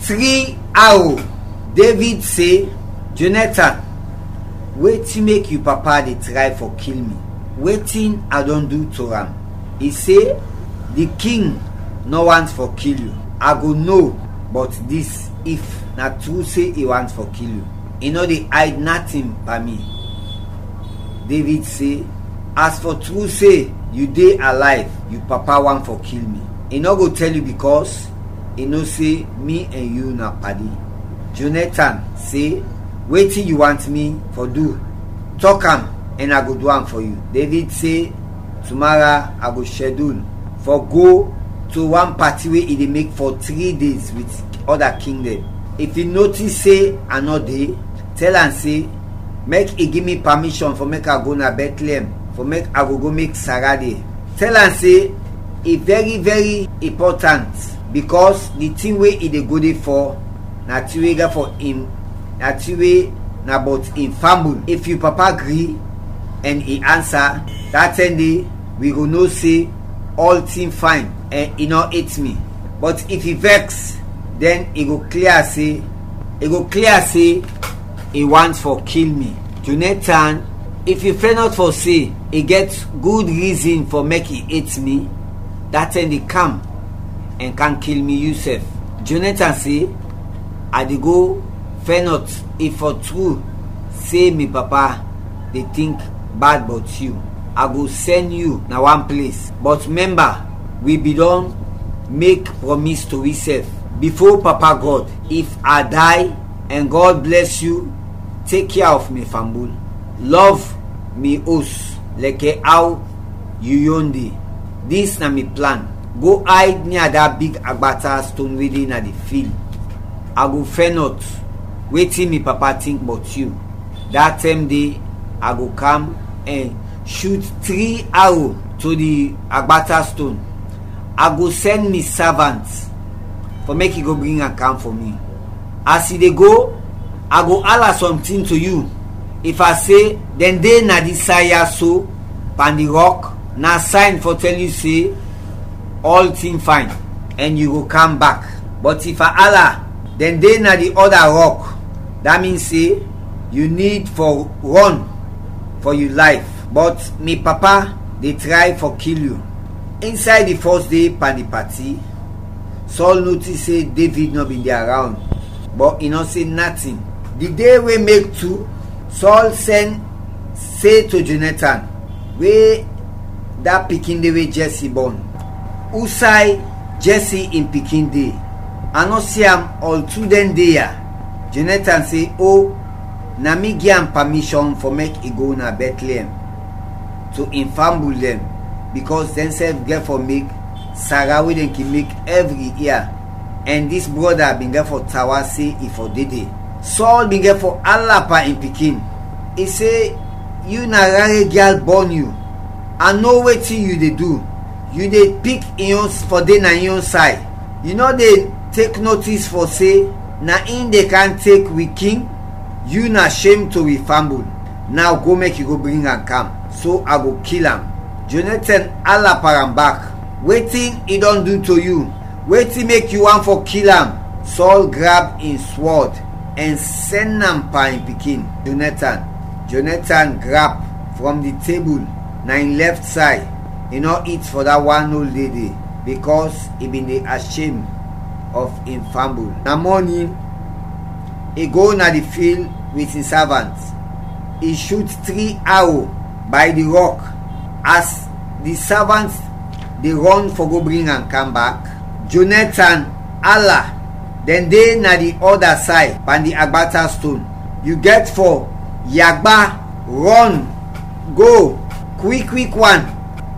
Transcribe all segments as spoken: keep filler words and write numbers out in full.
Tri awo. David se, Jonathan, wetin mek yu papa de tray fɔ kil mi? Wetin a dɔn du to am? I se, di king nɔ want fɔ kil yu. A go no bɔt dis, if na tru se i want fɔ kil yu. I nɔ de ayd natin pan mi. David se, as fɔ tru se yu de alayv, yu papa want fɔ kil mi. I nɔ go tɛl yu bikɔs i no se mi ɛn yu na padi. Jonathan se, wetin yu want mi fɔ du? Tɔk am, ɛn a go du am fɔ yu. David se, tumara a go shɛdul fɔ go to wan pati we i de mek fɔ tri days wit ɔda king dɛn. If i notis se a nɔ de, tɛl am se, mek i gi mi pamishɔn fɔ mek a go na Bɛtleɛm, fɔ mek a go go mek Sara de. Tɛl am se, i vɛri vɛri impɔtant, bikɔs di tin we i de go de fɔ na tin we gɛt fɔ in, na tin we na bɔt in fambul. If yu papa gri ɛn i ansa, da tɛm de wi go no se ɔltin fayn ɛn i nɔ et mi. Bɔt if i vɛks, dɛn i go klia se, i go klia se i want fɔ kil mi. Jonathan, if yu fɛnɔt fɔ se i gɛt gud rizin fɔ mek i et mi, da tɛm de kam ɛn kam kil mi yusɛf. Jonathan se, a de go fɛnɔt if fɔ tru se mi papa de tink bad bɔt yu. A go sɛn yu na wan ples. Bɔt mɛmba, wi bin dɔn mek prɔmis to wisɛf bifo Papa Gɔd, if a day ɛn Gɔd blɛs yu, tek kea of mi fambul. Lɔv mi os lɛkɛ aw yu yon de. Dis na mi plan. Go ayd nia da big agbata ston we de na di fil. A go fɛnɔt wetin mi papa tink bɔt yu. Da tɛm de a go kam ɛn shut tri awo to di agbata ston. A go sɛn mi savant fɔ mek i go bring am kam fɔ mi. As i de go, a go ala sɔntin to yu. If a se, dɛn de na dis say ya so, pan di rɔk, na sayn fɔ tɛl yu se ɔltin fayn, ɛn yu go kam bak. Bɔt if a ala, dɛn de na di ɔda rɔk, da min se yu nid fɔ rɔn fɔ yu layf. Bɔt mi papa de tray fɔ kil yu. Insay di fɔs de pan di pati, Sɔl notis se Devid nɔ bin de arawnd, bɔt i nɔ se natin. Di de we mek tu, Sɔl sɛn se to Jonatan, we da pikin de we Jɛsi bɔn, usay Jɛsi in pikin de? A nɔ si am ɔl tu dɛn de ya. Jonatan se, o, na mi gi am pamishɔn fɔ mek i go na Bɛtleɛm to in fambul dɛn, bikɔs dɛnsɛf gɛt fɔ mek Sara we dɛn kin mek ɛvri ia, ɛn dis brɔda bin gɛt fɔ tawa se i fɔ de de. Sɔl bin gɛt fɔ ala pan in pikin. I se, yu na rare gyal bɔn yu. A no wetin yu de du. Yu de pik in yon fɔ de na in yon say. Yu nɔ de tek notis fɔ se na in de kam tek wi king? Yu na shem to wi fambul. Naw go mek yu go bring am kam, so a go kil am. Jonatan ala pan am bak. Wetin i dɔn du to yu? Wetin mek yu want fɔ kil am? Sɔl grab in swɔd ɛn sɛn am pan in pikin, Jonatan. Jonatan grap frɔm di tebul na in lɛft say, i nɔ it fɔ da wan ol de de, bikɔs i bin de ashem of in fambul. Na mɔnin, i go na di fil wit in savant. I shut tri awo bay di rɔk. As di savant de rɔn fɔ go bring am kam bak, Jonatan ala, dɛn de na di ɔda say pan di agbata ston. Yu gɛt fɔ yagba, rɔn go kwik kwik wan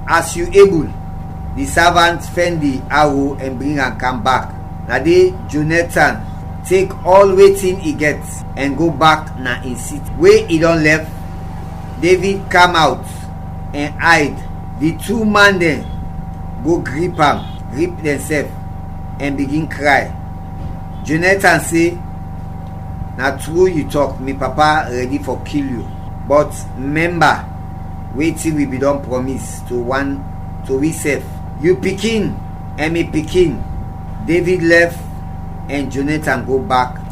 as yu ebul. Di savant fɛn di awo ɛn bring am kam bak. Na de Jonatan tek ɔl wetin i gɛt ɛn go bak na in siti we i dɔn lɛf. Devid kam awt ɛn ayd. Di tu man dɛn go grip am, grip dɛnsɛf, ɛn bigin kray. Jonatan se, na tru yu tɔk, mi papa rɛdi fɔ kil yu. Bɔt mɛmba wetin wi bin dɔn prɔmis to wan, to wisɛf, yu pikin ɛn mi pikin. Devid lɛf ɛn Jonathan go bak